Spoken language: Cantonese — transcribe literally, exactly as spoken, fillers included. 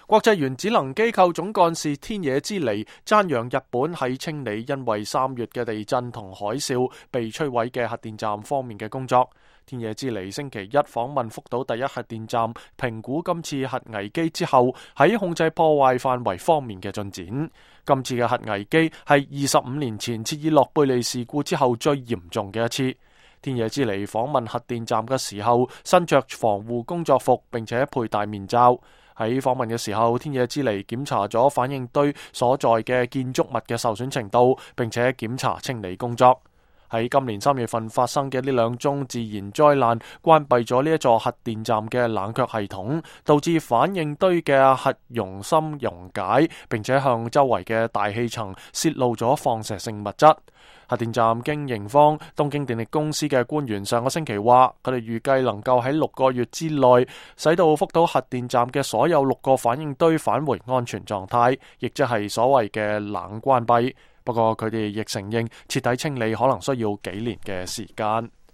國際原子能機構總幹事天野之彌讚揚日本喺清理因為三月嘅地震同海嘯被摧毀嘅核電站方面嘅工作。天野之彌星期一訪問福島第一核電站，評估今次核危機之後喺控制破壞範圍方面嘅進展。今次嘅核危機係二十五年前切爾諾貝利事故之後最嚴重嘅一次。天野之彌訪問核電站嘅時候，身着防護工作服，並且佩戴面罩。喺訪問嘅時候，天野之彌檢查咗反應堆所在嘅建築物嘅受損程度，並且檢查清理工作。喺今年三月份發生嘅呢兩宗自然災難，關閉咗呢一座核電站嘅冷卻系統，導致反應堆嘅核熔芯溶解，並且向周圍嘅大氣層泄露咗放射性物質。核電站經營方東京電力公司嘅官員上個星期話，佢哋預計能夠喺六個月之內，使到福島核電站嘅所有六個反應堆返回安全狀態，亦即係所謂嘅冷關閉。不過佢哋亦承認徹底清理可能需要幾年嘅時間。